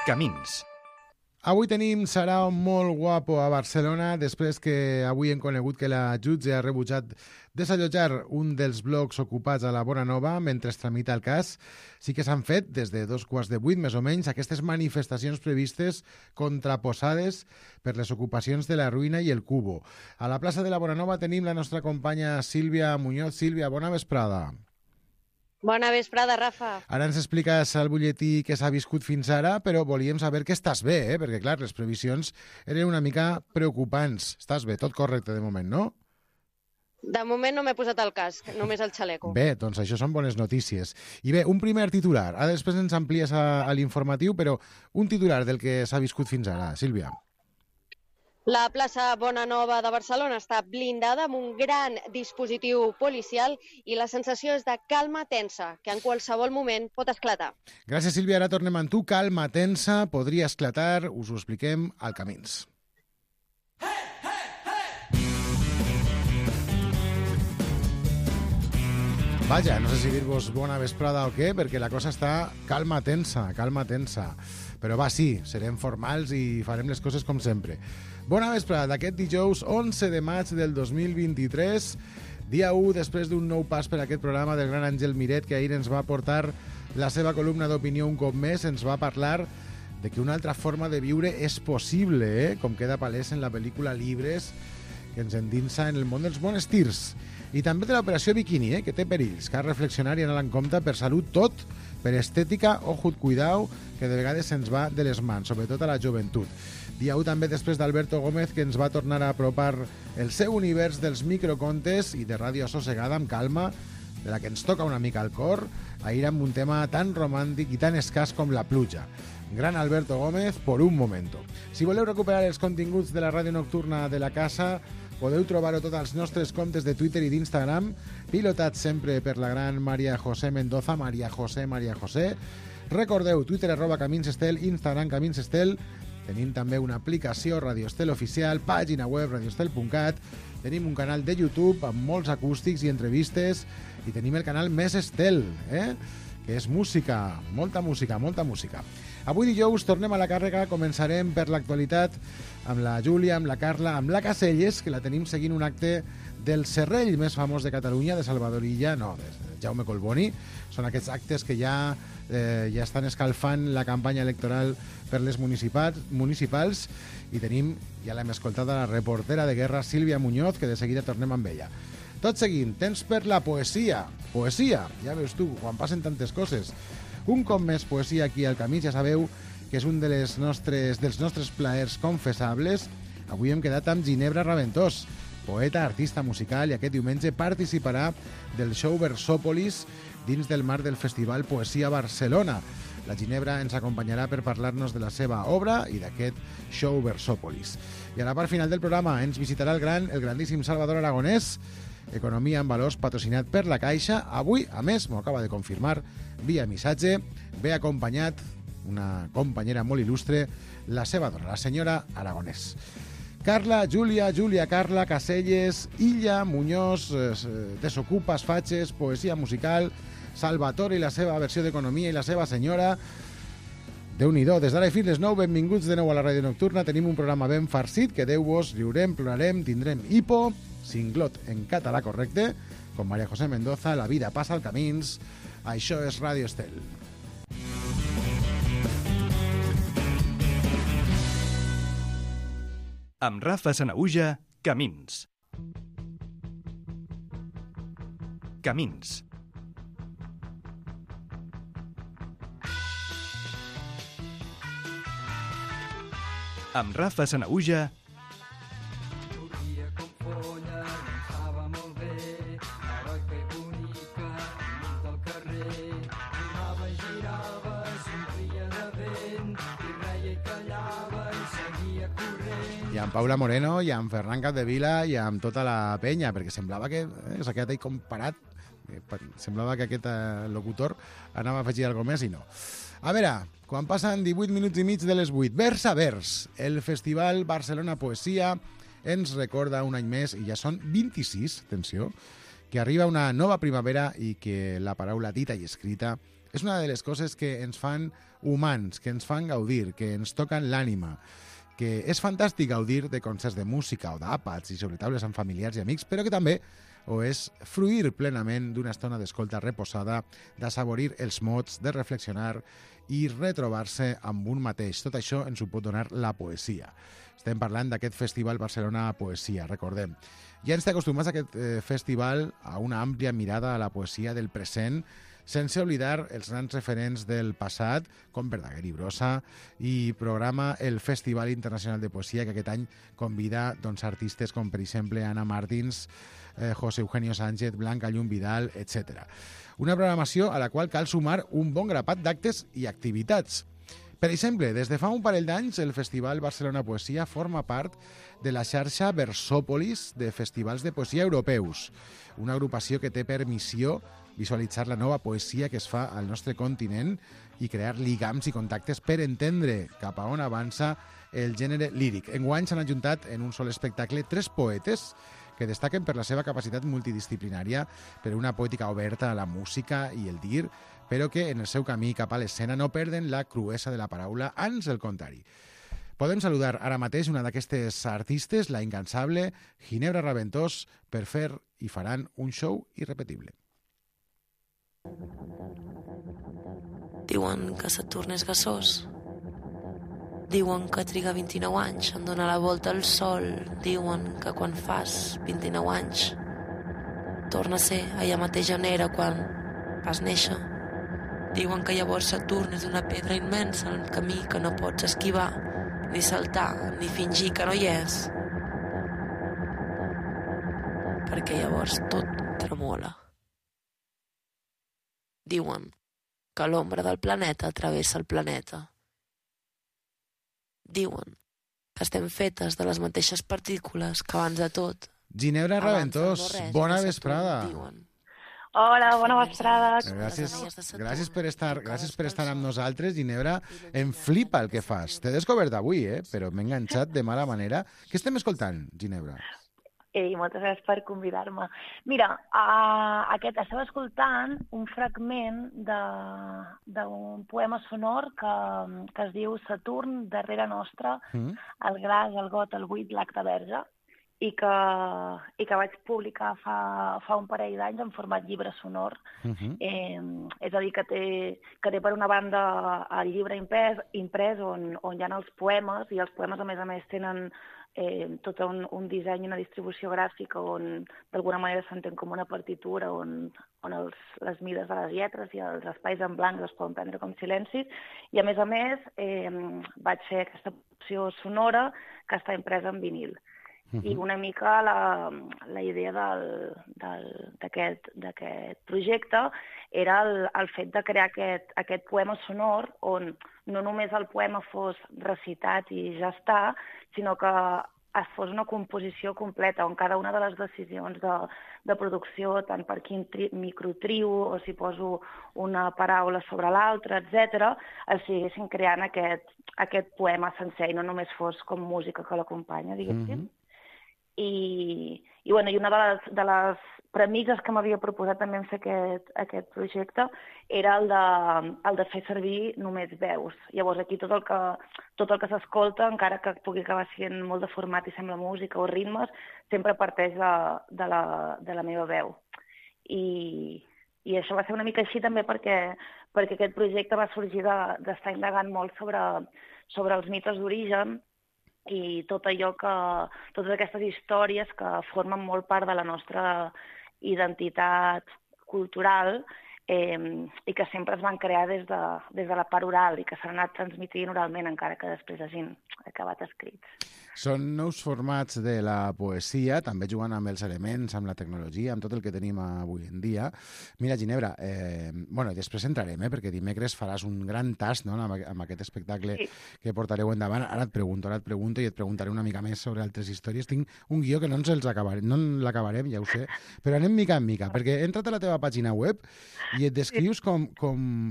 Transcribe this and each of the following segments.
Camins. Avui tenim Sarao molt guapo a Barcelona, després que avui hem conegut que la jutge ha rebutjat desallotjar un dels blocs ocupats a la Bonanova mentre es tramita el cas. Sí que s'han fet, des de 7:15 més o menys, aquestes manifestacions previstes contraposades per les ocupacions de la Ruïna i el Cubo. A la plaça de la Bonanova tenim la nostra companya Sílvia Muñoz. Sílvia, bona vesprada. Bona vesprada, Rafa. Ara ens expliques al butlletí què s'ha viscut fins ara, però volíem saber que estàs bé, perquè, clar, les previsions eren una mica preocupants. Estàs bé, tot correcte de moment, no? De moment no m'he posat el casc, només el xaleco. Bé, doncs això són bones notícies. I bé, un primer titular. Ara després ens amplies a l'informatiu, però un titular del que s'ha viscut fins ara. Sílvia. La plaça Bonanova de Barcelona està blindada amb un gran dispositiu policial i la sensació és de calma tensa, que en qualsevol moment pot esclatar. Gràcies, Sílvia. Ara tornem amb tu. Calma tensa, podria esclatar. Us ho expliquem al Camins. Vaja, no sé si dir-vos bona vesprada o què, perquè la cosa està calma tensa, calma tensa. Però va, sí, serem formals i farem les coses com sempre. Bona vesprada d'aquest dijous 11 de maig del 2023, dia 1 després d'un nou pas per aquest programa del gran Àngel Miret, que ahir ens va portar la seva columna d'opinió un cop més, ens va parlar de que una altra forma de viure és possible, com queda palès en la pel·lícula Libres, que ens endinsa en el món dels monestirs. I també de l'operació Bikini, que té perills. Cal reflexionar i anar en compte per salut tot, per estètica, ojut, cuidao, que de vegades se'ns va de les mans, sobretot a la joventut. Dia 1 també després d'Alberto Gómez, que ens va tornar a apropar el seu univers dels microcontes i de ràdio assossegada amb calma, de la que ens toca una mica al cor, ahir amb un tema tan romàntic i tan escàs com la pluja. Gran Alberto Gómez, por un momento. Si voleu recuperar els continguts de la ràdio nocturna de la casa, podeu trobar-ho tot als nostres comptes de Twitter i d'Instagram, pilotats sempre per la gran Maria José Mendoza, Maria José. Recordeu, Twitter @CaminsEstel, Instagram CaminsEstel. Tenim també una aplicació Radio Estel oficial, pàgina web radioestel.cat, tenim un canal de YouTube amb molts acústics i entrevistes i tenim el canal Més Estel, que és música, molta música. Avui dijous tornem a la càrrega, començarem per l'actualitat amb la Júlia, amb la Carla, amb la Caselles, que la tenim seguint un acte del serrell més famós de Catalunya, de Salvador Illa, no, de Jaume Collboni. Són aquests actes que ja estan escalfant la campanya electoral per les municipals i tenim, ja l'hem escoltat, la reportera de guerra Sílvia Muñoz, que de seguida tornem amb ella. Tot seguint, temps per la poesia. Poesia, ja veus tu, quan passen tantes coses. Un cop més poesia aquí al Camí, ja sabeu que és un dels nostres plaers confessables. Avui hem quedat amb Ginebra Raventós, poeta, artista musical, i aquest diumenge participarà del show Versòpolis dins del marc del Festival Poesia Barcelona. La Ginebra ens acompanyarà per parlar-nos de la seva obra i d'aquest show Versòpolis. I a la part final del programa ens visitarà el grandíssim Salvador Aragonès, Economia en Valors, patrocinat per la Caixa. Avui, a més, m'ho acaba de confirmar via missatge, ve acompanyat una companyera molt il·lustre, la seva dona, la senyora Aragonès. Carla, Júlia, Carla, Caselles, Illa, Muñoz, Desocupes, Fatxes, Poesia Musical, Salvatore i la seva versió d'Economia i la seva senyora. Déu-n'hi-do, des d'ara i fins les 9, benvinguts de nou a la ràdio nocturna. Tenim un programa ben farcit, que Déu-vos, riurem, plorarem, tindrem hipo, cinglot en català correcte, com Maria José Mendoza, la vida passa al Camins. Això és Ràdio Estel. Amb Rafa Sanaüja, Camins. Camins. Amb Rafa Sanaüja, i amb Paula Moreno, i amb Ferran Capdevila, i amb tota la penya, perquè semblava que s'ha quedat ahí comparat, semblava que aquest locutor anava a afegir alguna més i no. A veure, quan passen 18 minuts i mig de les 8, vers a vers, el Festival Barcelona Poesia ens recorda un any més, i ja són 26, atenció, que arriba una nova primavera i que la paraula dita i escrita És una de les coses que ens fan humans, que ens fan gaudir, que ens toquen l'ànima, que és fantàstic gaudir de concerts de música o d'àpats i sobre taules amb familiars i amics, però que també ho és fruir plenament d'una estona d'escolta reposada, d'assaborir els mots, de reflexionar i retrobar-se amb un mateix. Tot això ens ho pot donar la poesia. Estem parlant d'aquest Festival Barcelona Poesia, recordem. Ja ens té acostumats a aquest festival a una àmplia mirada a la poesia del present, sense oblidar els grans referents del passat, com Verdaguer i Brossa, i programa el Festival Internacional de Poesia, que aquest any convida artistes com, per exemple, Ana Martins, José Eugenio Sánchez, Blanca Llum Vidal, etc. Una programació a la qual cal sumar un bon grapat d'actes i activitats. Per exemple, des de fa un parell d'anys, el Festival Barcelona Poesia forma part de la xarxa Versòpolis de festivals de poesia europeus, una agrupació que té per missió visualitzar la nova poesia que es fa al nostre continent i crear lligams i contactes per entendre cap a on avança el gènere líric. Enguany s'han ajuntat en un sol espectacle 3 poetes que destaquen per la seva capacitat multidisciplinària, per una poètica oberta a la música i el dir, però que en el seu camí cap a l'escena no perden la cruesa de la paraula, ans el contrari. Podem saludar ara mateix una d'aquestes artistes, la incansable Ginebra Raventós, per fer i faran un show irrepetible. Diuen que Saturn és gasós. Diuen que triga 29 anys en donar la volta al Sol. Diuen que quan fas 29 anys torna a ser allà mateix on era quan vas néixer. Diuen que llavors Saturn és una pedra immensa en el camí que no pots esquivar, ni saltar, ni fingir que no hi és. Perquè llavors tot tremola. Diuen que l'ombra del planeta travessa el planeta. Diuen que estem fetes de les mateixes partícules que abans de tot. Ginebra Raventós, bona vesprada. Hola, bona vesprada. Gràcies per estar amb nosaltres, Ginebra. Em flipa el que fas. T'he descobert avui, però m'he enganxat de mala manera. Què estem escoltant, Ginebra? Ei, moltes gràcies per convidar-me. Mira, estava escoltant un fragment d'un poema sonor que es diu Saturn, darrere nostra, el gras, el got, el buit, l'acte verge, i que vaig publicar fa un parell d'anys en format llibre sonor. És a dir, que té per una banda el llibre imprès on hi ha els poemes, i els poemes a més tenen tot un disseny i una distribució gràfica on d'alguna manera s'entén com una partitura on les mides de les lletres i els espais en blanc es poden prendre com silencis, i a més vaig fer aquesta opció sonora que està impresa en vinil. I una mica la idea d'aquest projecte era el fet de crear aquest poema sonor on no només el poema fos recitat i ja està, sinó que es fos una composició completa on cada una de les decisions de producció, tant per quin microtrio o si poso una paraula sobre l'altra, etc., es siguessin creant aquest poema sencer i no només fos com música que l'acompanya, diguéssim. I una de les premisses que m'havia proposat també en fer aquest projecte era el de fer servir només veus. Llavors aquí tot el que s'escolta, encara que pugui acabar sent molt de format i sembla música o ritmes, sempre parteix de la meva veu. I això va ser una mica així també perquè aquest projecte va sorgir d'estar indagant molt sobre els mites d'origen i totes aquestes històries que formen molt part de la nostra identitat cultural i que sempre es van crear des de la part oral i que s'han anat transmitint oralment encara que després hagin acabat escrits. Són nous formats de la poesia, també jugant amb els elements, amb la tecnologia, amb tot el que tenim avui en dia. Mira, Ginebra, després entrarem, perquè dimecres faràs un gran tast amb aquest espectacle que portareu endavant. Ara et pregunto i et preguntaré una mica més sobre altres històries. Tinc un guió que no l'acabarem, ja ho sé, però anem mica en mica, perquè he entrat a la teva pàgina web i et descrius com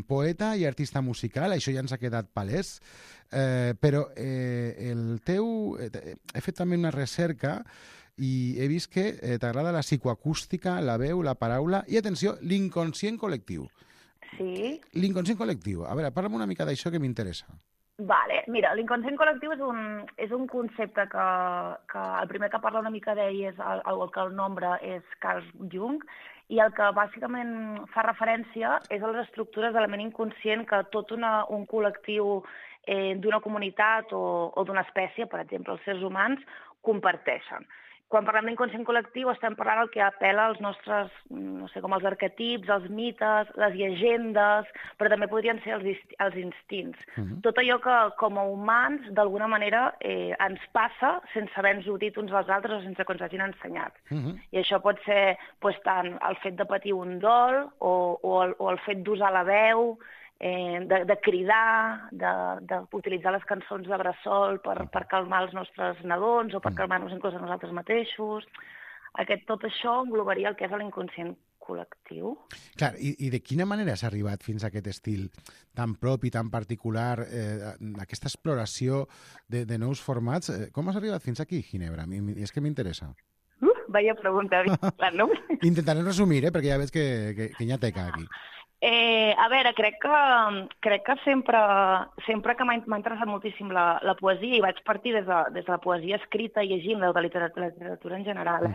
poeta i artista musical, això ja ens ha quedat palès, però he fet també una recerca i he vist que t'agrada la psicoacústica, la veu, la paraula i, atenció, l'inconscient col·lectiu. Sí. L'inconscient col·lectiu. A veure, parla'm una mica d'això que m'interessa. Vale, mira, l'inconscient col·lectiu és un concepte que el primer que parla una mica d'ell és que el nombre és Carl Jung, i el que bàsicament fa referència és a les estructures de la ment inconscient que tot un col·lectiu d'una comunitat o d'una espècie, per exemple, els sérs humans, comparteixen. Quan parlem d'inconscient col·lectiu estem parlant del que apel·la als nostres, no sé, com els arquetips, els mites, les llegendes, però també podrien ser els instints. Tot allò que com a humans d'alguna manera ens passa sense haver-nos-ho dit uns als altres o sense que ens hagin ensenyat. I això pot ser tant el fet de patir un dol o el fet d'usar la veu, de cridar, d'utilitzar les cançons de bressol per calmar els nostres nadons o per calmar-nos inclús a nosaltres mateixos. Tot això englobaria el que és l'inconscient col·lectiu. Clar, i de quina manera s'ha arribat fins a aquest estil tan propi, tan particular, aquesta exploració de nous formats? Com has arribat fins aquí, Ginebra? És que m'interessa. Vaya pregunta, no? Intentaré resumir, perquè ja veig que hi ha teca aquí. A veure, crec que sempre que m'ha interessat moltíssim la poesia, i vaig partir des de la poesia escrita i llegint la literatura en general,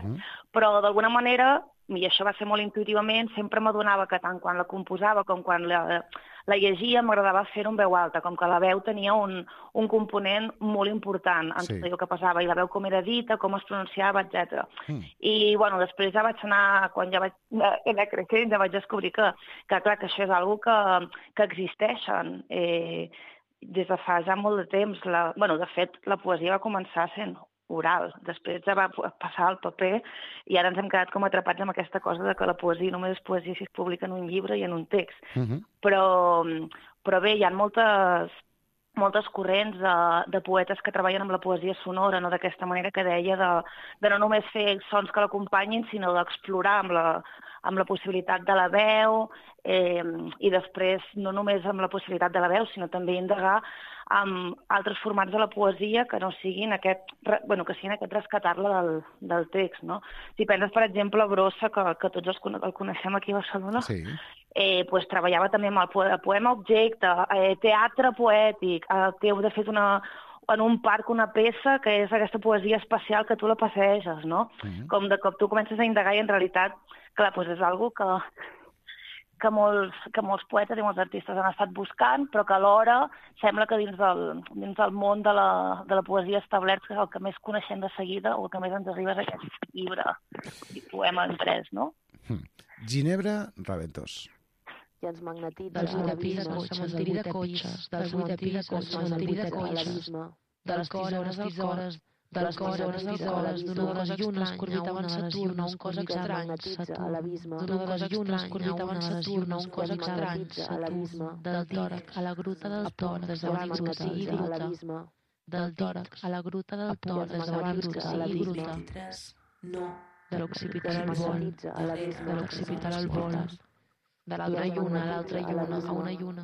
però d'alguna manera, i això va ser molt intuïtivament, sempre m'adonava que tant quan la composava com quan la llegia m'agradava fer-ho en veu alta, com que la veu tenia un component molt important en tot allò que passava, i la veu com era dita, com es pronunciava, etc. I, bueno, després ja vaig anar, quan ja vaig anar creixent, ja vaig descobrir que clar, que això és una cosa que existeixen des de fa ja molt de temps. De fet, la poesia va començar sent oral, després ja va passar al paper i ara ens hem quedat com atrapats amb aquesta cosa de que la poesia només és poesia si es publica en un llibre i en un text. Però bé, hi ha moltes corrents de poetes que treballen amb la poesia sonora, no d'aquesta manera que deia, de no només fer sons que l'acompanyin, sinó d'explorar amb la possibilitat de la veu i després no només amb la possibilitat de la veu, sinó també indagar amb altres formats de la poesia que no siguin aquest rescatar-la del text, no? Si penses, per exemple, a Brossa, que tots el coneixem aquí a Barcelona, doncs treballava també amb el poema objecte, teatre poètic, té de fet en un parc una peça que és aquesta poesia espacial que tu la passeges, no? Com de cop tu comences a indagar i en realitat, clar, doncs és una cosa que molts poetes i molts artistes han estat buscant, però que alhora sembla que dins del món de la poesia establert, que és el que més coneixem de seguida o el que més ens arriba és aquest llibre i poema imprès, no? Ginebra Raventós. I ens magnetitza dels 8 pisos, del cementiri de cotxes, dels 8 pisos, del cementiri de cotxes, de les tisores, de les tisores, d'una de les llunes que orbitaven Saturn, un cos estrany, Saturn, d'una de les llunes que orbitaven Saturn, un cos estrany, Saturn, del tòrax a la gruta del Tor, des de abans que sigui gruta, del tòrax a la gruta del Tor, des de abans que sigui gruta, de l'occipital al vol, de l'occipital al vol, de l'altra lluna a l'altra lluna, a una lluna.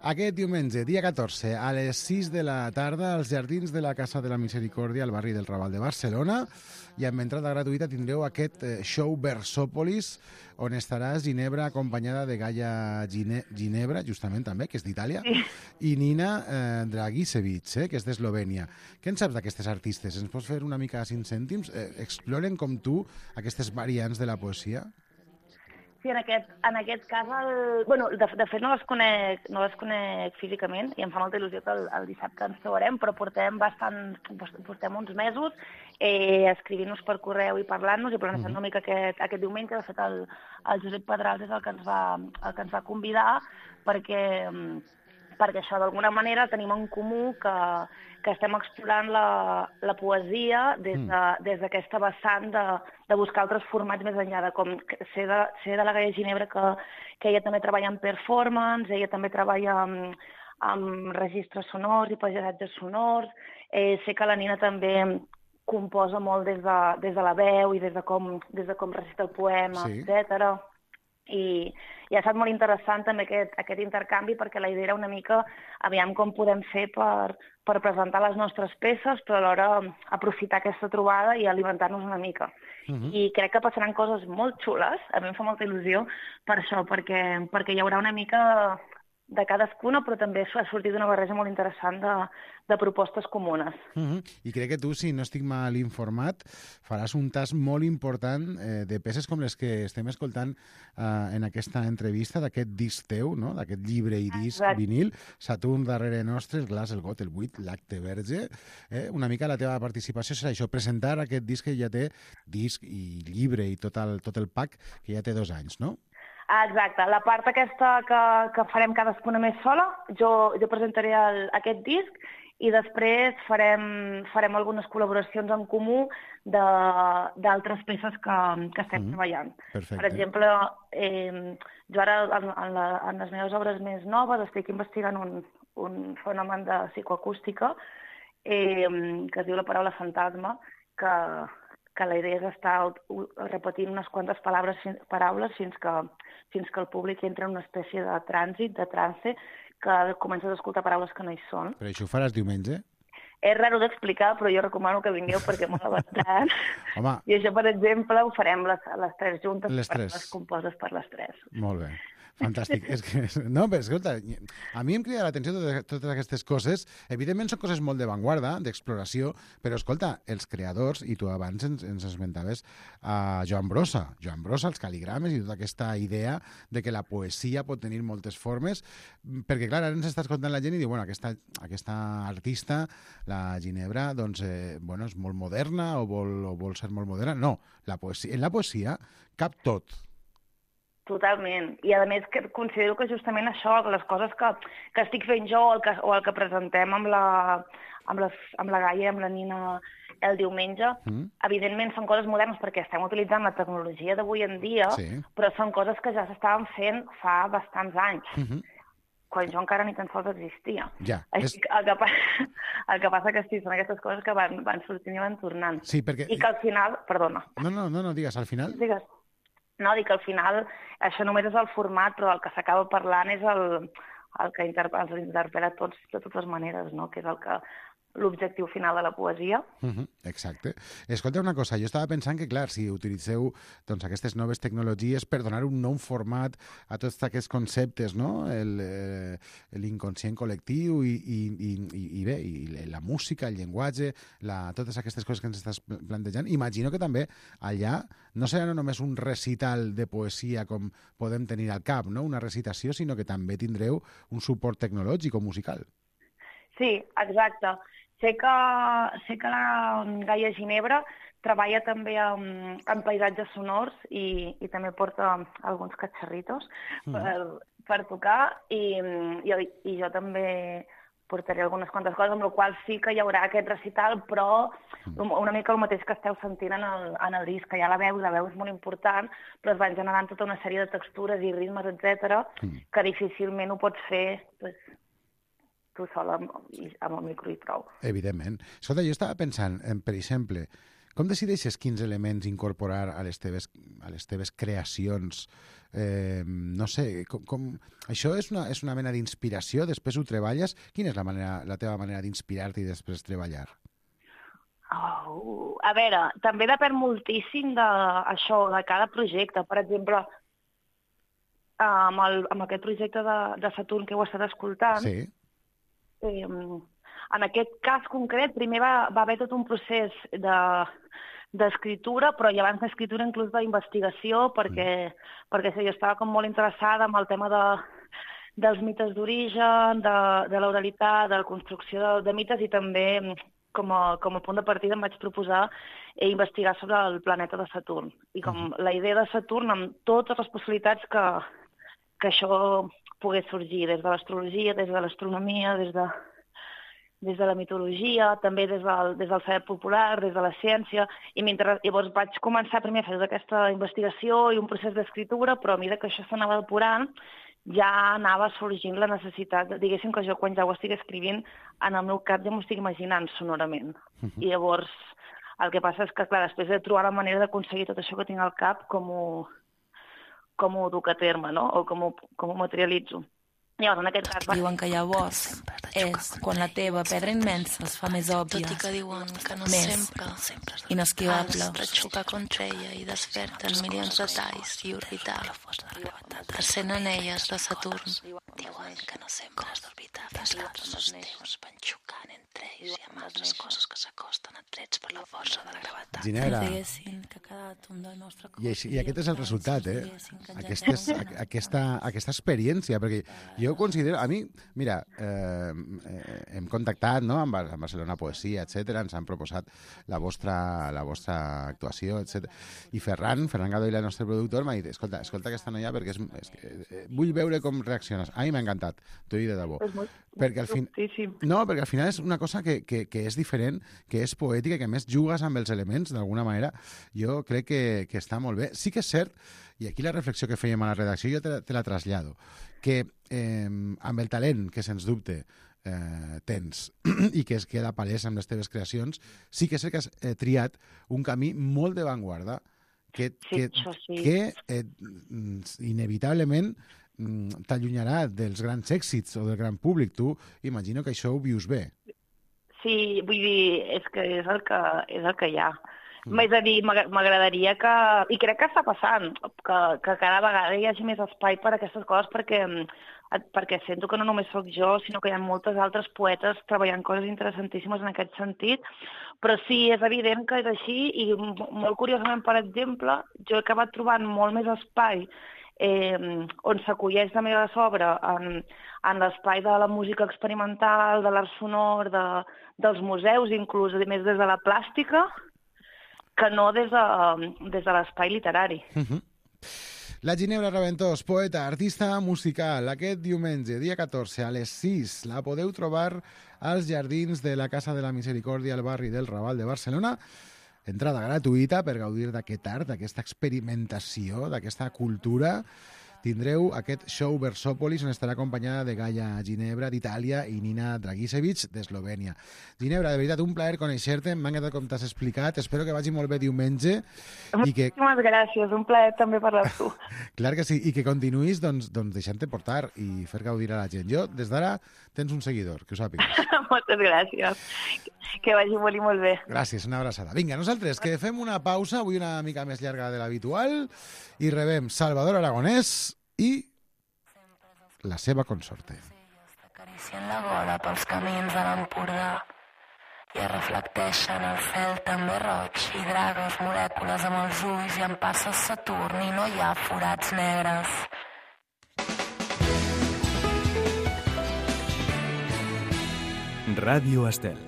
Aquest diumenge, dia 14, a les 6 de la tarda, als jardins de la Casa de la Misericòrdia, al barri del Raval de Barcelona, i amb entrada gratuïta tindreu aquest show Versòpolis, on estarà Ginebra acompanyada de Gaia Ginebra, justament també, que és d'Itàlia, i Nina Dragicevic, que és d'Eslovènia. Què en saps d'aquestes artistes? Ens pots fer una mica a 5 cèntims? Exploren com tu aquestes variants de la poesia? Sí, en aquest cas, de fet no les conec físicament i em fa molta il·lusió que el dissabte ens trobarem, però portem uns mesos escrivint-nos per correu i parlant-nos i planejant una mica aquest diumenge. De fet, el Josep Pedrals és el que ens va convidar perquè això d'alguna manera tenim en comú que estem explorant la poesia des d'aquesta vessant de buscar altres formats més enllà de com ser de la Gaia Ginebra, que ella també treballa en performance, ella també treballa amb registres sonors i paisatges sonors, sé que la Nina també composa molt des de la veu i des de com recita el poema, etc. I ha estat molt interessant també aquest intercanvi, perquè la idea era una mica aviam com podem fer per presentar les nostres peces, però alhora aprofitar aquesta trobada i alimentar-nos una mica. I crec que passaran coses molt xules, a mi em fa molta il·lusió per això, perquè hi haurà una mica de cadascuna, però també ha sortit una barreja molt interessant de propostes comunes. I crec que tu, si no estic mal informat, faràs un tas molt important de peces com les que estem escoltant en aquesta entrevista d'aquest disc teu, no? D'aquest llibre i disc vinil, Saturn darrere nostre, el glaç, el got, el buit, l'acte verge. Una mica la teva participació serà això, presentar aquest disc que ja té, disc i llibre i tot el pack, que ja té 2 anys, no? Exacte. La part aquesta que farem cadascuna més sola, jo presentaré aquest disc i després farem algunes col·laboracions en comú d'altres peces que estem treballant. Perfecte. Per exemple, jo ara en les meves obres més noves estic investigant un fenomen de psicoacústica que es diu la paraula fantasma, que la idea és estar repetint unes quantes paraules fins que el públic entra en una espècie de trànsit, de trance, que comences a escoltar paraules que no hi són. Però això ho faràs diumenge? És raro d'explicar, però jo recomano que vingueu perquè mola bastant. Home. I això, per exemple, ho farem les 3 juntes, les 3. Les composes per les 3. Molt bé. Fantàstic. No, però escolta, a mi em crida l'atenció totes aquestes coses. Evidentment són coses molt d'avantguarda, d'exploració, però escolta, els creadors, i tu abans ens esmentaves a Joan Brossa, els cal·ligrames i tota aquesta idea de que la poesia pot tenir moltes formes, perquè clar, ara ens està escoltant la gent i diu, bueno, aquesta artista, la Ginebra, doncs, bueno, és molt moderna o vol ser molt moderna. No, en la poesia cap tot. Totalment. I, a més, considero que justament això, les coses que estic fent jo o el que presentem amb la Gaia i amb la Nina el diumenge, evidentment són coses modernes perquè estem utilitzant la tecnologia d'avui en dia, però són coses que ja s'estaven fent fa bastants anys, quan jo encara ni tan sols existia. Ja. El que passa que sí, són aquestes coses que van sortint i van tornant. Sí, perquè... I que al final... Perdona. No, digues, al final... Digues. No, dic que al final això només és el format, però el que s'acaba parlant és el que els interpel·la tots de totes maneres, no? Que és l'objectiu final de la poesia. Exacte. Escolta una cosa, jo estava pensant que, clar, si utilitzeu doncs, aquestes noves tecnologies per donar un nou format a tots aquests conceptes, no? L'inconscient col·lectiu i bé, i la música, el llenguatge, totes aquestes coses que ens estàs plantejant, imagino que també allà no serà només un recital de poesia com podem tenir al cap, no? Una recitació, sinó que també tindreu un suport tecnològic o musical. Sí, exacte. Sé que la Gaia Ginebra treballa també en paisatges sonors i també porta alguns catxarritos per tocar i jo també portaré algunes quantes coses, amb la qual sí que hi haurà aquest recital, però una mica el mateix que esteu sentint en el disc, que hi ha la veu és molt important, però es van generant tota una sèrie de textures i ritmes, etc., que difícilment ho pots fer tu sol amb el micro i prou. Evidentment. Escolta, jo estava pensant, per exemple, com decideixes quins elements incorporar a les teves creacions? No sé, això és una mena d'inspiració, després ho treballes? Quina és la teva manera d'inspirar-te i després treballar? A veure, també depèn moltíssim d'això, de cada projecte. Per exemple, amb aquest projecte de Saturn que heu estat escoltant, sí. En aquest cas concret, primer va haver tot un procés d'escriptura, però i abans d'escriptura inclús d'investigació, perquè sí, jo estava com molt interessada en el tema dels mites d'origen, de l'oralitat, de la construcció de mites, i també com a punt de partida em vaig proposar investigar sobre el planeta de Saturn. I com la idea de Saturn, amb totes les possibilitats que això pogués sorgir, des de l'astrologia, des de l'astronomia, des de la mitologia, també des del saber popular, des de la ciència, i llavors vaig començar primer a fer tota aquesta investigació i un procés d'escriptura, però a mesura que això s'anava depurant, ja anava sorgint la necessitat, diguéssim que jo quan ja ho estic escrivint, en el meu cap ja m'ho estic imaginant sonorament. I llavors el que passa és que, clar, després de trobar la manera d'aconseguir tot això que tinc al cap, com ho duc a terme, no? O com ho materialitzo. Llavors, en aquest cas... Diuen que llavors és quan la teva pedra immensa es fa més òbvia, tot i que diuen que no més inesquivable. has de xocar contra ella i desperten milions de talls i orbitals que sent anelles de Saturn. Diuen que no sempre has d'orbitar fins que els teus van xocant entre ells i amb altres coses que s'acosten atrets per la força de la gravetat. Ginebra, Que cada àtom del nostre cos i aquest és el resultat, aquesta experiència, perquè jo considero, a mi, mira, hem contactat, no?, amb Barcelona Poesia, etc. Ens han proposat la vostra actuació, etc. I Ferran Gadoila, el nostre productor, m'ha dit, escolta aquesta noia perquè vull veure com reacciones. A mi m'ha encantat, t'ho dic de debò. Perquè al final és una cosa que és diferent, que és poètica, que a més jugues amb els elements, d'alguna manera. Jo crec que està molt bé. Sí que és cert, i aquí la reflexió que fèiem a la redacció jo te la trasllado, que amb el talent que sens dubte tens i que es queda palès amb les teves creacions, sí que sé que has triat un camí molt d'avantguarda que inevitablement t'allunyarà dels grans èxits o del gran públic. Tu imagino que això ho vius bé. Sí, vull dir, és que és el que hi ha. És a dir, m'agradaria que... I crec que està passant, que cada vegada hi hagi més espai per a aquestes coses, perquè sento que no només sóc jo, sinó que hi ha moltes altres poetes treballant coses interessantíssimes en aquest sentit. Però sí, és evident que és així i molt curiosament, per exemple, jo he acabat trobant molt més espai on s'acolleix la meva obra en l'espai de la música experimental, de l'art sonor, dels museus, inclús més des de la plàstica, que no des de l'espai literari. La Ginebra Raventós, poeta, artista musical, aquest diumenge, dia 14, a les 6, la podeu trobar als jardins de la Casa de la Misericòrdia al barri del Raval de Barcelona. Entrada gratuïta per gaudir d'aquest art, d'aquesta experimentació, d'aquesta cultura. Tindreu aquest show Versòpolis, on estarà acompanyada de Gaia Ginebra, d'Itàlia, i Nina Dragicevic, d'Eslovènia. Ginebra, de veritat, un plaer conèixer-te, m'ha encantat com t'has explicat, espero que vagi molt bé diumenge. Moltíssimes gràcies, un plaer també parlar amb tu. Clar que sí, i que continuïs deixant-te portar i fer gaudir a la gent. Jo, des d'ara, tens un seguidor, que ho sàpigues. Moltes gràcies, que vagi molt i molt bé. Gràcies, una abraçada. Vinga, nosaltres, que fem una pausa, avui una mica més llarga de l'habitual, i rebem Salvador Aragonès i la seva consorte. Acaricien la gola pels camins de l'Empordà i es reflecteixen el cel també roig i dragues molècules amb els ulls i en passa Saturn i no hi ha forats negres. Ràdio Estel.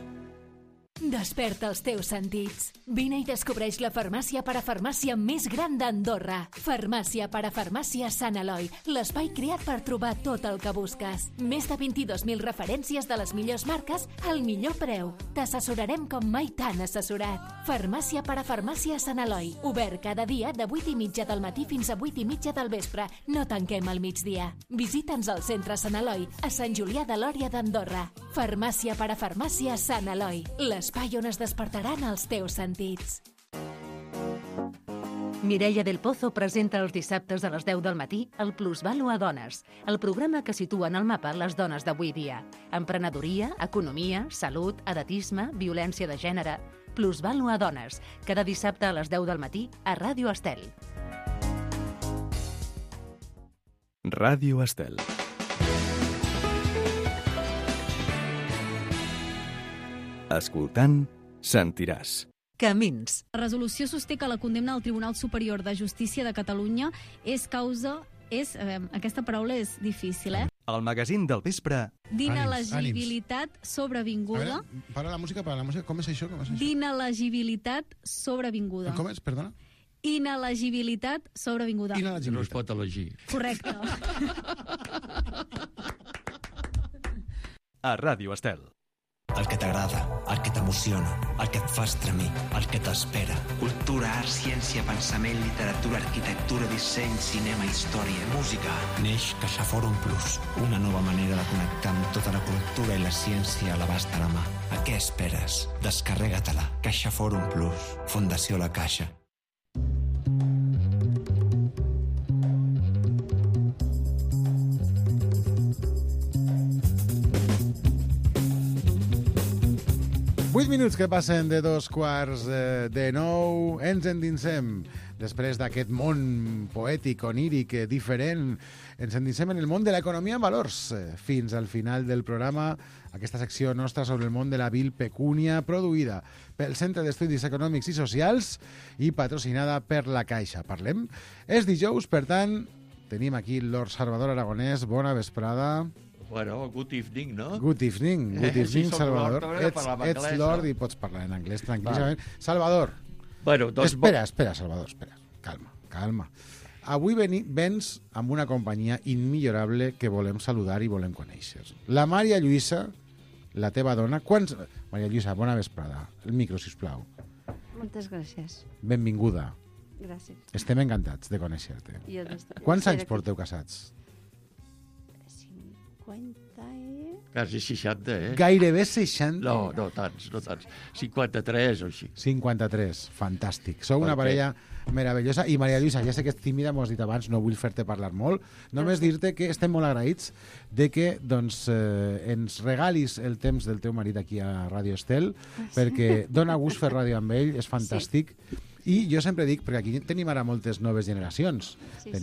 Desperta els teus sentits. Vine i descobreix la farmàcia parafarmàcia més gran d'Andorra. Farmàcia parafarmàcia Sant Eloi, l'espai creat per trobar tot el que busques. Més de 22.000 referències de les millors marques al millor preu. T'assessorarem com mai t'han assessorat. Farmàcia parafarmàcia Sant Eloi, obert cada dia de 8:30 del matí fins a 8:30 del vespre. No tanquem al migdia. Visita'ns al centre Sant Eloi, a Sant Julià de Lòria d'Andorra. Farmàcia parafarmàcia Sant Eloi, l'espai on es despertaran els teus sentits. Mireia del Pozo presenta els dissabtes a les 10 del matí el Plusvàlua a Dones, el programa que situa en el mapa les dones d'avui dia. Emprenedoria, economia, salut, edatisme, violència de gènere... Plusvàlua a Dones, cada dissabte a les 10 del matí a Ràdio Estel. Ràdio Estel. Escoltant, sentiràs. Camins. La resolució sosté que la condemna del Tribunal Superior de Justícia de Catalunya és causa... aquesta paraula és difícil, El magazín del vespre. D'inelegibilitat sobrevinguda. A veure, para la música, com és això? D'inelegibilitat sobrevinguda. Com és, perdona? Inelegibilitat sobrevinguda. No es pot elegir. Correcte. A Ràdio Estel. El que t'agrada, el que t'emociona, el que et fa estremir, el que t'espera. Cultura, art, ciència, pensament, literatura, arquitectura, disseny, cinema, història, música. Neix CaixaForum Plus, una nova manera de connectar amb tota la cultura i la ciència a l'abast de la mà. A què esperes? Descarrega-te-la. CaixaForum Plus, Fundació La Caixa. 8 minuts que passen de 8:45. Ens endinsem. Després d'aquest món poètic, oníric, diferent, ens endinsem en el món de l'economia en valors. Fins al final del programa, aquesta secció nostra sobre el món de la vil pecúnia, produïda pel Centre d'Estudis Econòmics i Socials i patrocinada per la Caixa. Parlem. És dijous, per tant, tenim aquí Lord Salvador Aragonès. Bona vesprada. Bueno, good evening, no? Good evening, sí, Salvador. Lord, Ets Lord i pots parlar en anglès tranquil·lament. Vale. Salvador, bueno, doncs... espera, Salvador, espera. Calma. Avui vens amb una companyia immillorable que volem saludar i volem conèixer. La Maria Lluïsa, la teva dona... Maria Lluïsa, bona vesprada. El micro, sisplau. Moltes gràcies. Benvinguda. Gràcies. Estem encantats de conèixer-te. Quants anys porteu casats? 50 Quasi 60, Gairebé 60? No tants. 53 o així. 53, fantàstic. Sou una parella meravellosa. I Maria Lluïsa, ja sé que ets tímida, m'ho has dit abans, no vull fer-te parlar molt. Només dir-te que estem molt agraïts de que ens regalis el temps del teu marit aquí a Ràdio Estel, perquè dona gust fer ràdio amb ell, és fantàstic. I jo sempre dic, perquè aquí tenim ara moltes noves generacions. Ara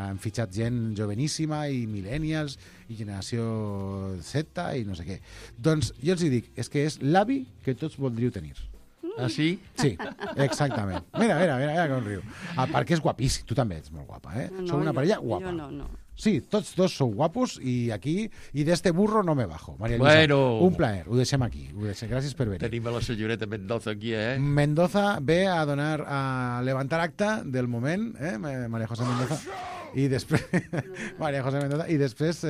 hem fitxat gent joveníssima i millennials i generació Z i no sé què. Doncs jo els dic, és que és l'avi que tots voldríeu tenir. Ah, sí? Sí, exactament. Mira com riu. A part que és guapíssim, tu també ets molt guapa, Sou una parella guapa. Jo no. Sí, tots dos sou guapos i aquí, i d'este burro no me bajo. Maria Lluïsa, un plaer, ho deixem aquí. Gràcies per venir. Tenim a la senyoreta Mendoza aquí, Mendoza ve a levantar acta del moment, Maria José Mendoza, i després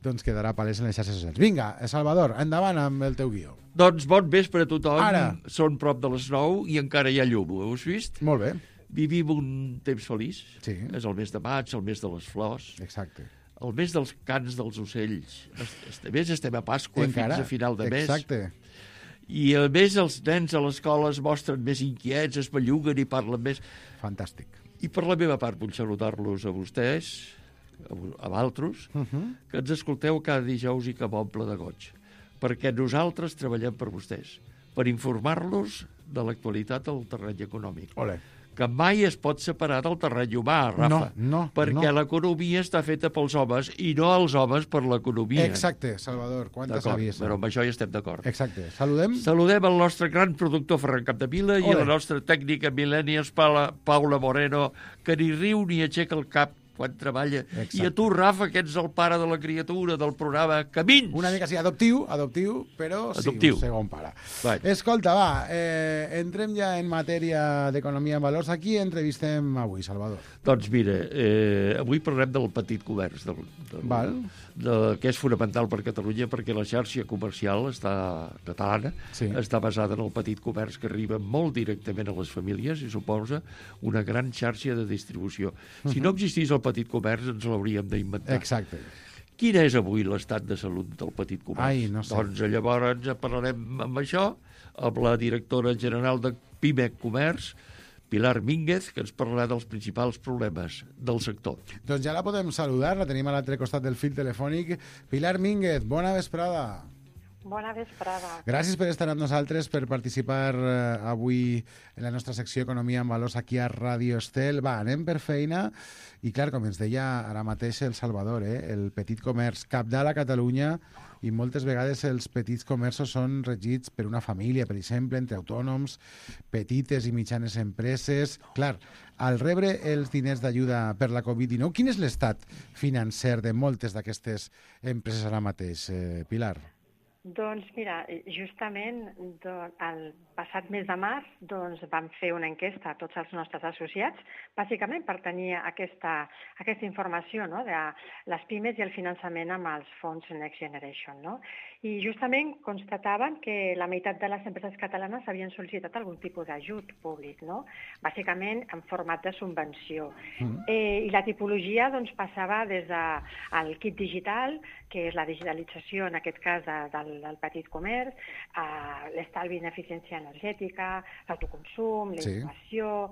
doncs quedarà palès en les xarxes socials. Vinga, Salvador, endavant amb el teu guió. Doncs bon vespre a tothom. Ara. Són prop de les 9 i encara hi ha llum, ho heu vist? Molt bé. Vivim un temps feliç. Sí. És el mes de maig, el mes de les flors. Exacte. El mes dels cants dels ocells. A més, estem a Pasqua fins a final de mes. Exacte. I a més els nens a l'escola es mostren més inquiets, es belluguen i parlen més. Fantàstic. I per la meva part vull saludar-los a vostès, a vosaltres, que ens escolteu cada dijous i que m'omple de goig. Perquè nosaltres treballem per vostès, per informar-los de l'actualitat del terreny econòmic. Olé. Que mai es pot separar del terreny humà, Rafa. Perquè l'economia està feta pels homes i no els homes per l'economia. Exacte, Salvador, quanta saviesa. Però amb això hi estem d'acord. Exacte. Saludem el nostre gran productor Ferran Capdevila i la nostra tècnica millennials Paula Moreno, que ni riu ni aixeca el cap quan treballa. Exacte. I a tu, Rafa, que ets el pare de la criatura del programa Camins. Una mica sí, adoptiu, però sí, un segon pare. Escolta, entrem ja en matèria d'economia en valors. Aquí entrevistem avui, Salvador. Doncs mira, avui parlem del petit comerç, que és fonamental per Catalunya, perquè la xarxa comercial catalana està basada en el petit comerç, que arriba molt directament a les famílies i suposa una gran xarxa de distribució. Si no existís el petit comerç, ens l'hauríem d'inventar. Exacte. Quin és avui l'estat de salut del petit comerç? No sé. Doncs llavors parlarem amb això, amb la directora general de PIMEC Comerç, Pilar Mínguez, que ens parlarà dels principals problemes del sector. Doncs ja la podem saludar, la tenim a l'altre costat del fil telefònic. Pilar Mínguez, bona vesprada. Bona vesprada. Gràcies per estar amb nosaltres, per participar avui en la nostra secció Economia en Valors aquí a Ràdio Estel. Anem per feina. I clar, com ens deia ara mateix el Salvador, el petit comerç cabdal a Catalunya, i moltes vegades els petits comerços són regits per una família, per exemple, entre autònoms, petites i mitjanes empreses. Clar, al rebre els diners d'ajuda per la Covid-19, quin és l'estat financer de moltes d'aquestes empreses ara mateix, Pilar? Doncs mira, justament el passat mes de març vam fer una enquesta a tots els nostres associats, bàsicament per tenir aquesta informació de les pimes i el finançament amb els fons Next Generation. I justament constataven que la meitat de les empreses catalanes havien sol·licitat algun tipus d'ajut públic, bàsicament en format de subvenció. I la tipologia passava des del kit digital, que és la digitalització, en aquest cas, del petit comerç, l'estalvi en eficiència energètica, l'autoconsum, la innovació,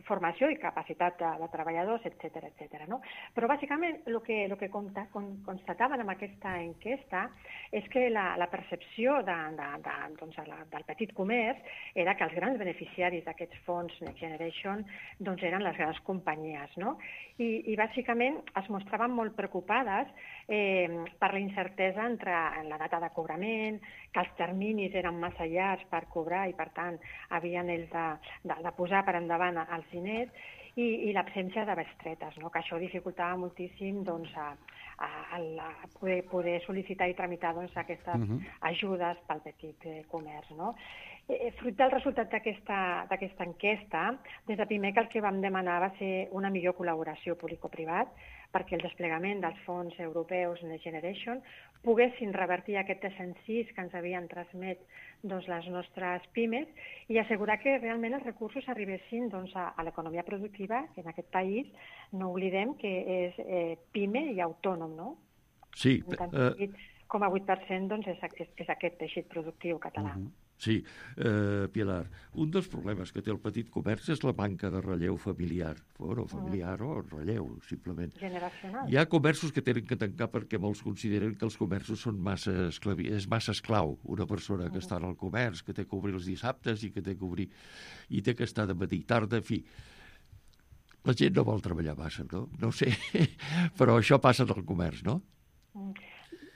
formació i capacitat de treballadors, etc. No? Però bàsicament el que constataven amb aquesta enquesta és que la percepció del petit comerç era que els grans beneficiaris d'aquests fons Next Generation eren les grans companyies. No? I bàsicament es mostraven molt preocupades per la incertesa entre la data de cobrament, que els terminis eren massa llargs per cobrar i, per tant, havien ells de posar per endavant els diners i l'absència de bestretes, no? Que això dificultava moltíssim poder sol·licitar i tramitar aquestes ajudes pel petit comerç. No? Fruit del resultat d'aquesta enquesta, des de primer que el que vam demanar va ser una millor col·laboració público-privat perquè el desplegament dels fons europeus Next Generation poguessin revertir aquest desencís que ens havien transmet les nostres pimes i assegurar que realment els recursos arribessin a l'economia productiva, que en aquest país no oblidem que és pime i autònom, no? Sí. Un 8,8% és aquest teixit productiu català. Sí, Pilar, un dels problemes que té el petit comerç és la manca de relleu familiar. Bueno, familiar o relleu, simplement. Generacional. Hi ha comerços que tenen que tancar perquè molts consideren que els comerços són és massa esclau. Una persona que està en el comerç, que té que obrir els dissabtes i que té que obrir i té que estar de matí i tarda, en fi. La gent no vol treballar massa, no? No ho sé, però això passa en el comerç, no?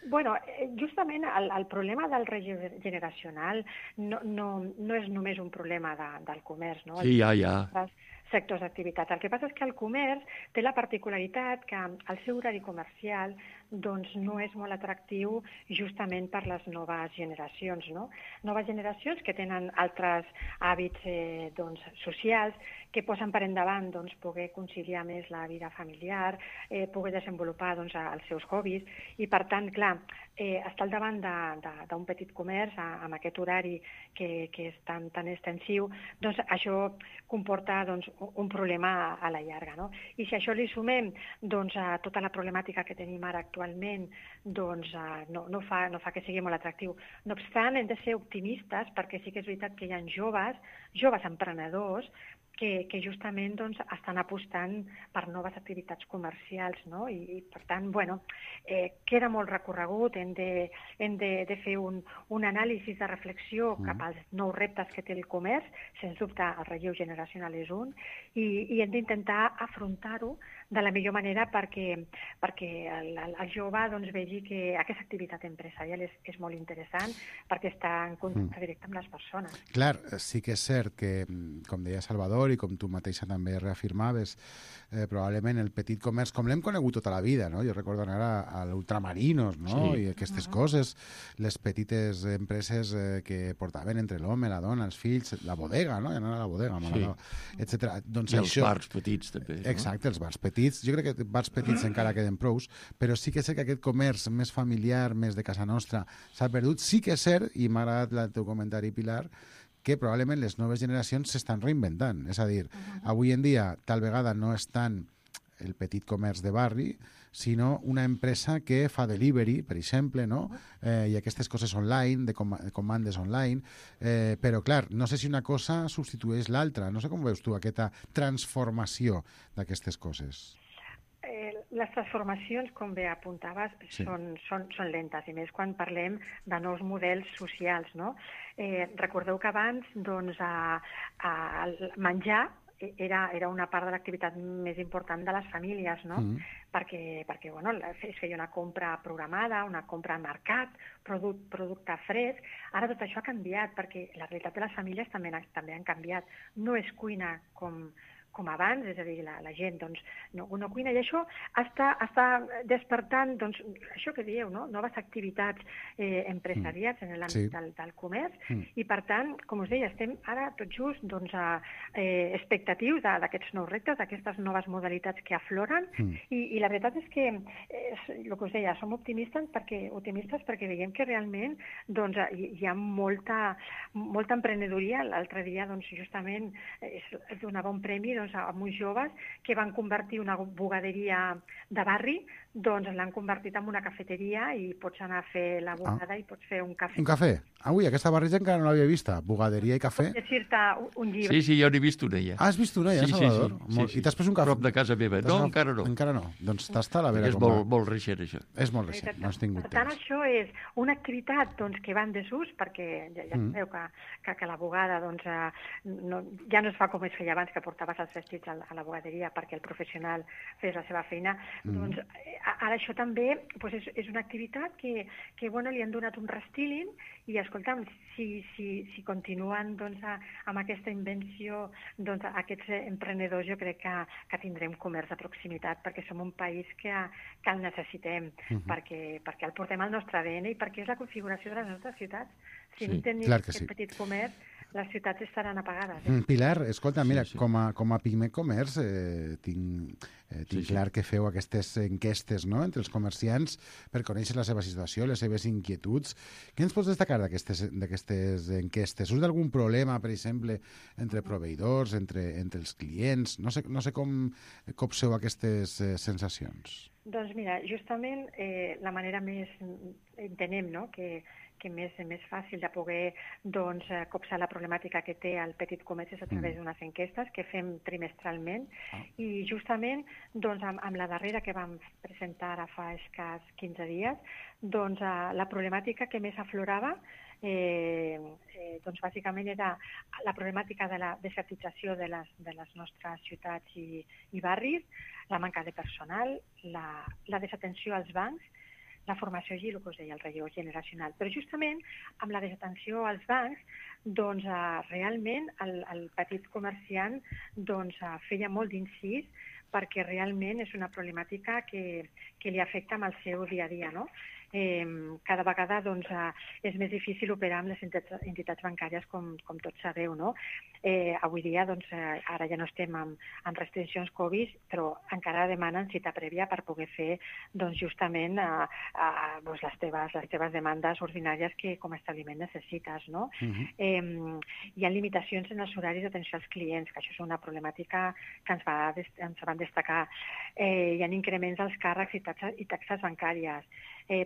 Bueno, justament el problema del relleu generacional no és només un problema del comerç, no? Sí, ja. Sectors d'activitat. El que passa és que el comerç té la particularitat que el seu horari comercial no és molt atractiu justament per les noves generacions, no? Noves generacions que tenen altres hàbits socials, que posen per endavant poder conciliar més la vida familiar, poder desenvolupar els seus hobbies i, per tant, clar, estar al davant d'un petit comerç amb aquest horari que és tan extensiu, això comporta un problema a la llarga. No? I si a això li sumem a tota la problemàtica que tenim ara actualment, no fa que sigui molt atractiu. No obstant, hem de ser optimistes perquè sí que és veritat que hi ha joves emprenedors que justament estan apostant per noves activitats comercials, no? I per tant, queda molt recorregut, hem de fer un anàlisi de reflexió cap als nous reptes que té el comerç, sens dubte el relleu generacional és un, i hem d'intentar afrontar-ho de la millor manera perquè el jove vegi que aquesta activitat empresarial és molt interessant perquè està en contacte directe amb les persones. Clar, sí que és cert que, com deia Salvador, i com tu mateixa també reafirmaves, probablement el petit comerç, com l'hem conegut tota la vida, no? Jo recordo anar a l'Ultramarinos, no? I aquestes coses, les petites empreses que portaven entre l'home, la dona, els fills, la bodega, no? Anar a la bodega, etc. I els bars petits, també. Exacte, els bars petits. Jo crec que bars petits encara queden prous, però sí que és cert que aquest comerç més familiar, més de casa nostra, s'ha perdut. Sí que és cert, i m'ha agradat el teu comentari, Pilar, que probablement les noves generacions s'estan reinventant. És a dir, avui en dia tal vegada no és tant el petit comerç de barri, sinó una empresa que fa delivery, per exemple, no? I aquestes coses online, de comandes online, però clar, no sé si una cosa substitueix l'altra. No sé com veus tu aquesta transformació d'aquestes coses. Les transformacions, com bé apuntaves, són lentes, i més quan parlem de nous models socials, no? Recordeu que abans el menjar era una part de l'activitat més important de les famílies, no? Perquè es feia una compra programada, una compra al mercat, producte fresc. Ara tot això ha canviat, perquè la realitat de les famílies també han canviat. No es cuina com abans, és a dir, la gent no cuina, i això està despertant, això que dieu, no? Noves activitats empresarials en l'àmbit del comerç, i per tant, com us deia, estem ara tot just expectatius d'aquests nous reptes, d'aquestes noves modalitats que afloren, i la veritat és que, el que us deia, som optimistes perquè veiem que realment hi ha molta emprenedoria. L'altre dia, justament, es donava un premi a uns joves que van convertir una bugaderia de barri doncs l'han convertit en una cafeteria i pots anar a fer la bugada i pots fer un cafè. Un cafè? Ui, aquesta barreja encara no l'havia vista. Bugaderia i cafè. Pots llegir-te un llibre. Sí, jo n'he vist una ja. Ah, has vist una ja, Salvador? Sí. I t'has pres un cafè? Prop de casa meva. No, encara no. Encara no. Doncs t'està a la vera. És molt recent, això. És molt recent, no has tingut Per tant, temps. això és una activitat que va en desús, perquè ja sabeu que la bugada ja no es fa com es feia abans, que portaves els vestits a la bugaderia perquè el professional fes la seva feina. Doncs ara això també és una activitat que li han donat un restyling i, escolta'm, si continuen amb aquesta invenció aquests emprenedors, jo crec que tindrem comerç de proximitat, perquè som un país que el necessitem, perquè el portem al nostre ADN i perquè és la configuració de les nostres ciutats. Si no tenim aquest petit comerç, les ciutats estaran apagades. Pilar, escolta, mira, com a Pime Comerç tinc clar que feu aquestes enquestes entre els comerciants per conèixer la seva situació, les seves inquietuds. Què ens pots destacar d'aquestes enquestes? Surt d'algun problema, per exemple, entre proveïdors, entre els clients? No sé com copseu aquestes sensacions. Doncs mira, justament la manera més, entenem, que més fàcil de poder copsar la problemàtica que té el petit comerç és a través d'unes enquestes que fem trimestralment i justament amb la darrera que vam presentar ara fa escàs 15 dies, la problemàtica que més aflorava bàsicament era la problemàtica de la desertització de les nostres ciutats i barris, la manca de personal, la desatenció als bancs, la formació i el que us deia, el relleu generacional. Però justament amb la desatenció als bancs, realment el petit comerciant feia molt d'incís perquè realment és una problemàtica que li afecta amb el seu dia a dia, no? Cada vegada és més difícil operar amb les entitats bancàries, com tots sabeu, no? Avui dia, ara ja no estem en restriccions Covid, però encara demanen cita prèvia per poder fer justament les teves demandes ordinàries que com a establiment necessites, no? Hi ha limitacions en els horaris d'atenció als clients, que això és una problemàtica que ens van destacar. Hi ha increments als càrrecs i taxes bancàries,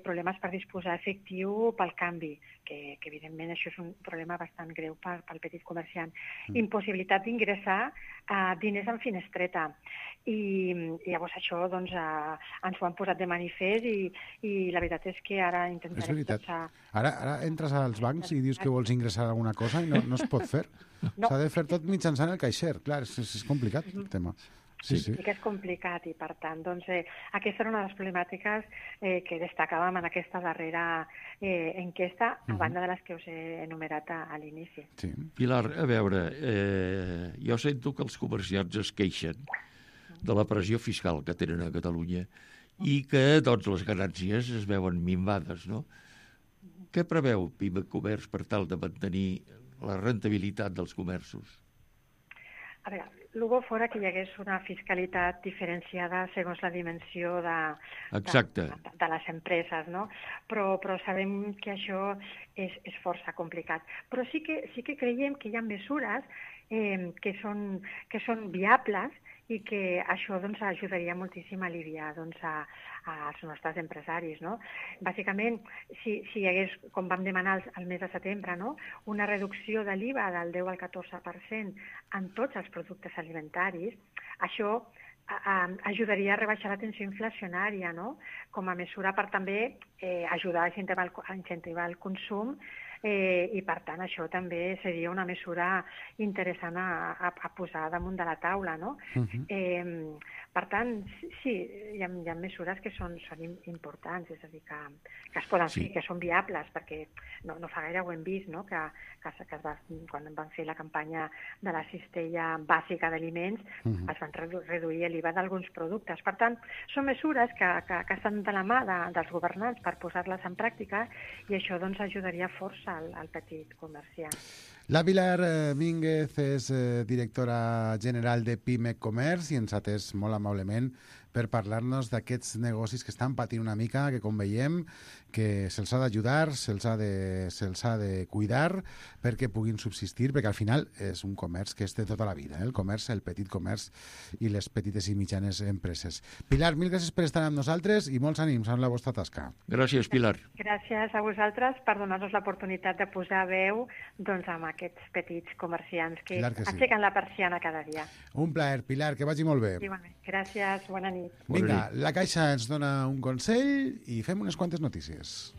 problemes per disposar efectiu pel canvi, que evidentment això és un problema bastant greu pel petit comerciant. Impossibilitat d'ingressar diners en finestreta. I llavors això ens ho han posat de manifest i la veritat és que ara intentarem... És veritat. Ara entres als bancs i dius que vols ingressar alguna cosa i no es pot fer. S'ha de fer tot mitjançant el caixer. Clar, és complicat el tema. Sí que és complicat i, per tant, aquesta era una de les problemàtiques que destacàvem en aquesta darrera enquesta, a banda de les que us he enumerat a l'inici. Pilar, a veure, jo sento que els comerciants es queixen de la pressió fiscal que tenen a Catalunya i que les ganàncies es veuen minvades, no? Què preveu Pime Comerç per tal de mantenir la rentabilitat dels comerços? A veure, el bo fora que hi hagués una fiscalitat diferenciada segons la dimensió de les empreses, no? Però sabem que això és força complicat. Però sí que creiem que hi ha mesures que són viables i que això ajudaria moltíssim a aliviar als nostres empresaris, no? Bàsicament, si hi hagués, com vam demanar al mes de setembre, no? Una reducció de l'IVA del 10 al 14% en tots els productes alimentaris, això ajudaria a rebaixar la tensió inflacionària, no? Com a mesura per també ajudar a incentivar el consum i, per tant, això també seria una mesura interessant a posar damunt de la taula, no? Per tant, sí, hi ha mesures que són importants, és a dir, que es poden fer, que són viables, perquè no fa gaire ho hem vist, no? Que quan van fer la campanya de la cistella bàsica d'aliments es van reduir l'IVA d'alguns productes. Per tant, són mesures que estan de la mà dels governants per posar-les en pràctica i això ajudaria força al petit comerciant. La Pilar Mínguez és directora general de Pime Comerç i ens ha atès molt amablement per parlar-nos d'aquests negocis que estan patint una mica, que com veiem que se'ls ha d'ajudar, se'ls ha de cuidar perquè puguin subsistir, perquè al final és un comerç que és de tota la vida, el comerç, el petit comerç i les petites i mitjanes empreses. Pilar, mil gràcies per estar amb nosaltres i molts ànims en la vostra tasca. Gràcies, Pilar. Gràcies a vosaltres per donar-nos l'oportunitat de posar veu amb aquests petits comerciants que aixequen la persiana cada dia. Un plaer, Pilar, que vagi molt bé. Igualment. Gràcies, bona nit. Vinga, la Caixa ens dona un consell i fem unes quantes notícies.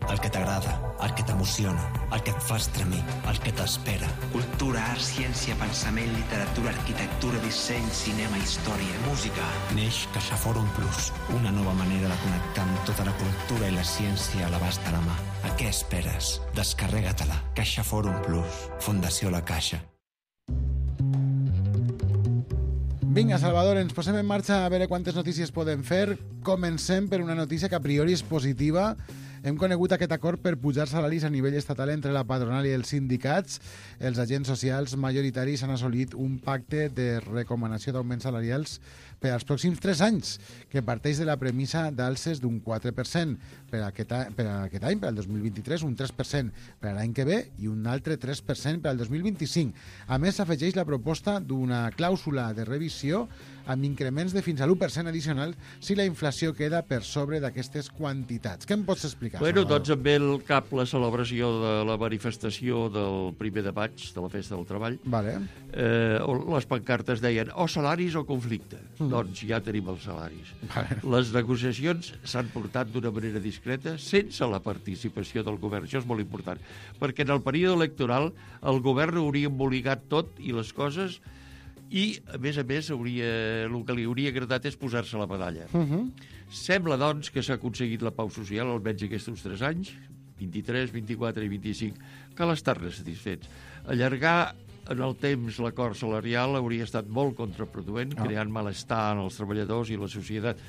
El que t'agrada, el que t'emociona, el que et fa estremir, el que t'espera. Cultura, art, ciència, pensament, literatura, arquitectura, disseny, cinema, història, música. Neix CaixaForum Plus, una nova manera de connectar amb tota la cultura i la ciència a l'abast de la mà. A què esperes? Descarrega-te-la. CaixaForum Plus, Fundació La Caixa. Vinga, Salvador, ens posem en marxa a veure quantes notícies podem fer. Comencem per una notícia que a priori és positiva. Hem conegut aquest acord per pujar salaris a nivell estatal entre la patronal i els sindicats. Els agents socials majoritaris han assolit un pacte de recomanació d'augments salarials per als pròxims 3 anys, que parteix de la premissa d'alces d'un 4% per aquest any, per al 2023, un 3% per a l'any que ve i un altre 3% per al 2025. A més, s'afegeix la proposta d'una clàusula de revisió amb increments de fins a l'1% addicional si la inflació queda per sobre d'aquestes quantitats. Què em pots explicar? Bueno, doncs em ve al cap la celebració de la manifestació del 1 de maig, de la Festa del Treball. Vale. Les pancartes deien o salaris o conflicte. Doncs ja tenim els salaris. Vale. Les negociacions s'han portat d'una manera discreta sense la participació del govern. Això és molt important, perquè en el període electoral el govern hauria embolicat tot i les coses i, a més, el que li hauria agradat és posar-se la medalla. Sembla, doncs, que s'ha aconseguit la pau social, almenys aquests 3 anys, 23, 24 i 25, cal estar-ne satisfets. Allargar en el temps l'acord salarial hauria estat molt contraproduent, creant malestar en els treballadors i la societat.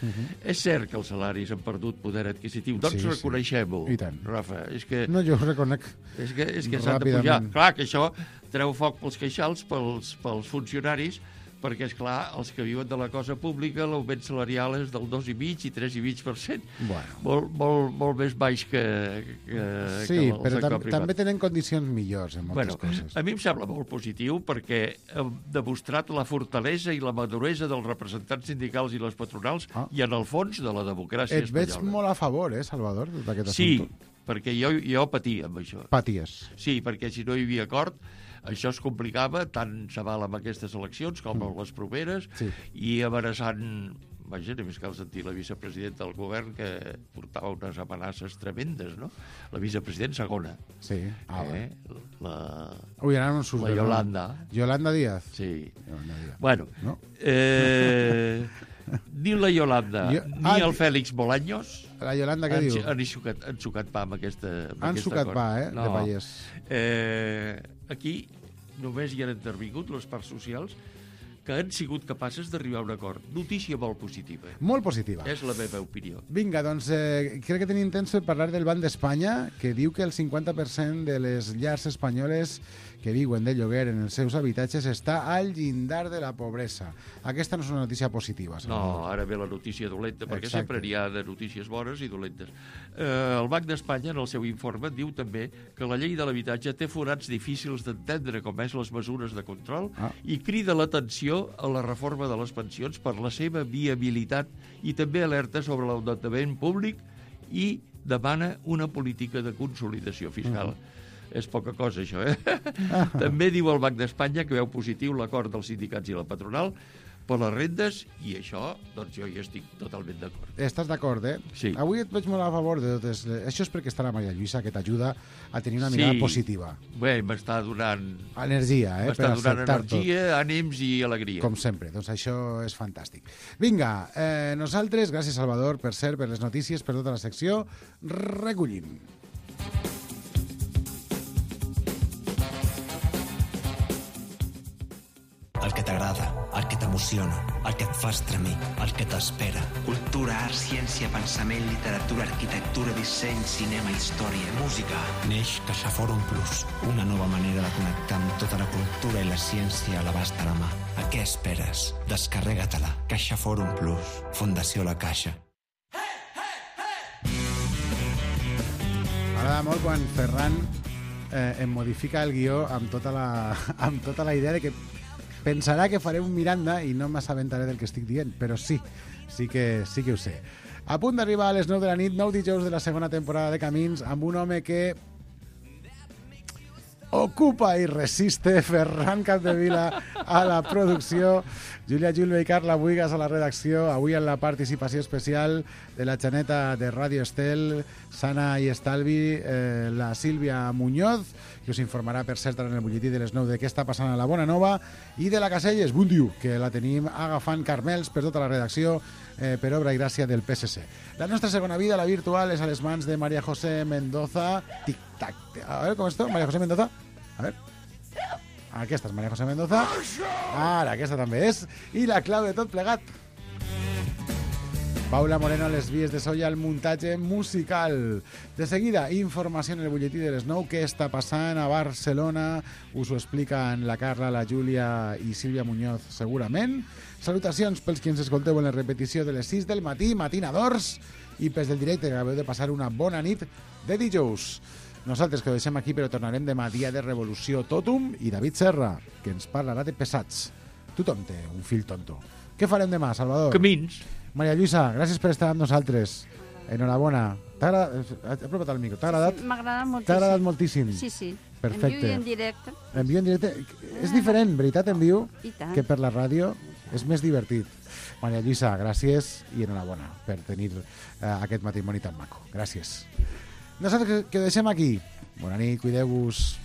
És cert que els salaris han perdut poder adquisitiu, doncs reconeixem-ho, Rafa. No, jo ho reconec. És que s'han de pujar. Clar que això treu foc pels queixals, pels funcionaris, perquè, esclar, els que viuen de la cosa pública, l'augment salarial és del 2,5 i 3,5%. Molt més baix que sí, però també tenen condicions millors en moltes coses. A mi em sembla molt positiu perquè hem demostrat la fortalesa i la maduresa dels representants sindicals i les patronals i, en el fons, de la democràcia espanyola. Et veig molt a favor, Salvador, d'aquest assumpte. Sí, perquè jo patia amb això. Paties. Sí, perquè si no hi havia acord, això es complicava, tant se val amb aquestes eleccions com amb les properes, i amenaçant, vaja, només cal sentir la vicepresidenta del govern que portava unes amenaces tremendes, no? La vicepresidenta segona. Sí. La Yolanda. Yolanda Díaz. Sí. Bueno, ni la Yolanda ni el Félix Bolaños la Yolanda què diu? Han sucat pa amb aquesta han sucat pa, de Vallès. Aquí només hi han intervingut les parts socials que han sigut capaces d'arribar a un acord. Notícia molt positiva. Molt positiva. És la meva opinió. Vinga, doncs crec que tenim temps per parlar del Banc d'Espanya, que diu que el 50% de les llars espanyoles que viuen de lloguer en els seus habitatges està al llindar de la pobresa. Aquesta no és una notícia positiva. No, ara ve la notícia dolenta, perquè sempre n'hi ha de notícies bones i dolentes. El Banc d'Espanya, en el seu informe, diu també que la llei de l'habitatge té forats difícils d'entendre, com és les mesures de control, i crida l'atenció a la reforma de les pensions per la seva viabilitat i també alerta sobre l'endeutament públic i demana una política de consolidació fiscal. És poca cosa, això, També diu el Banc d'Espanya que veu positiu l'acord dels sindicats i la patronal per les rendes, i això, doncs jo hi estic totalment d'acord. Estàs d'acord, Sí. Avui et veig molt a favor de totes. Això és perquè està la Maria Lluïsa, que t'ajuda a tenir una mirada positiva. Bé, m'està donant... energia, M'està donant energia, ànims i alegria. Com sempre, doncs això és fantàstic. Vinga, nosaltres, gràcies Salvador, per cert, per les notícies, per tota la secció, recollim. El que t'agrada, el que t'emociona, t'emociona, el que et fa estremir, el que t'espera. Cultura, art, ciència, pensament, literatura, arquitectura, disseny, cinema, història, música. Neix CaixaForum Plus, una nova manera de connectar amb tota la cultura i la ciència a l'abast de la mà. A què esperes? Descarrega-te-la. CaixaForum Plus, Fundació La Caixa. M'agrada molt quan Ferran em modifica el guió amb tota la idea de que pensarà que faré un Miranda i no m'assabentaré del que estic dient, però sí que ho sé. A punt d'arribar a les 9 de la nit, 9 dijous de la segona temporada de Camins, amb un home que ocupa i resiste, Ferran Capdevila a la producció, Júlia Julve i Carla Buigas a la redacció, avui en la participació especial de la Xaneta de Ràdio Estel, Sana i Estalvi, la Sílvia Muñoz, que us informarà, per cert, en el butlletí de les 9 de què està passant a la Bona Nova, i de la Caselles, bon diu, que la tenim agafant carmels per tota la redacció, per obra i gràcia del PSC. La nostra segona vida, la virtual, és a les mans de María José Mendoza. Tic-tac. A veure, com esto? María José Mendoza. A veure. Aquesta és María José Mendoza. Ara, aquesta també és. I la clau de tot plegat. Paula Moreno a les vies de so i al muntatge musical. De seguida, informació en el butlletí de les 9. Què està passant a Barcelona? Us ho expliquen la Carla, la Júlia i Sílvia Muñoz segurament. Salutacions pels qui ens escolteu en la repetició de les 6 del matí, matinadors, i pels del directe, que acabeu de passar una bona nit de dijous. Nosaltres que ho deixem aquí, però tornarem demà, dia de revolució totum, i David Serra, que ens parlarà de pesats. Tothom té un fill tonto. Què farem demà, Salvador? Camins. Maria Lluïsa, gràcies per estar amb nosaltres. Enhorabona. T'ha apropat al micro. T'ha agradat? Sí, m'ha agradat moltíssim. T'ha agradat moltíssim? Sí. Perfecte. En viu i en directe. En viu i en directe. És diferent, veritat, en viu, que per la ràdio. És més divertit. Maria Lluïsa, gràcies i enhorabona per tenir aquest matrimoni tan maco. Gràcies. Nosaltres que ho deixem aquí. Bona nit, cuideu-vos.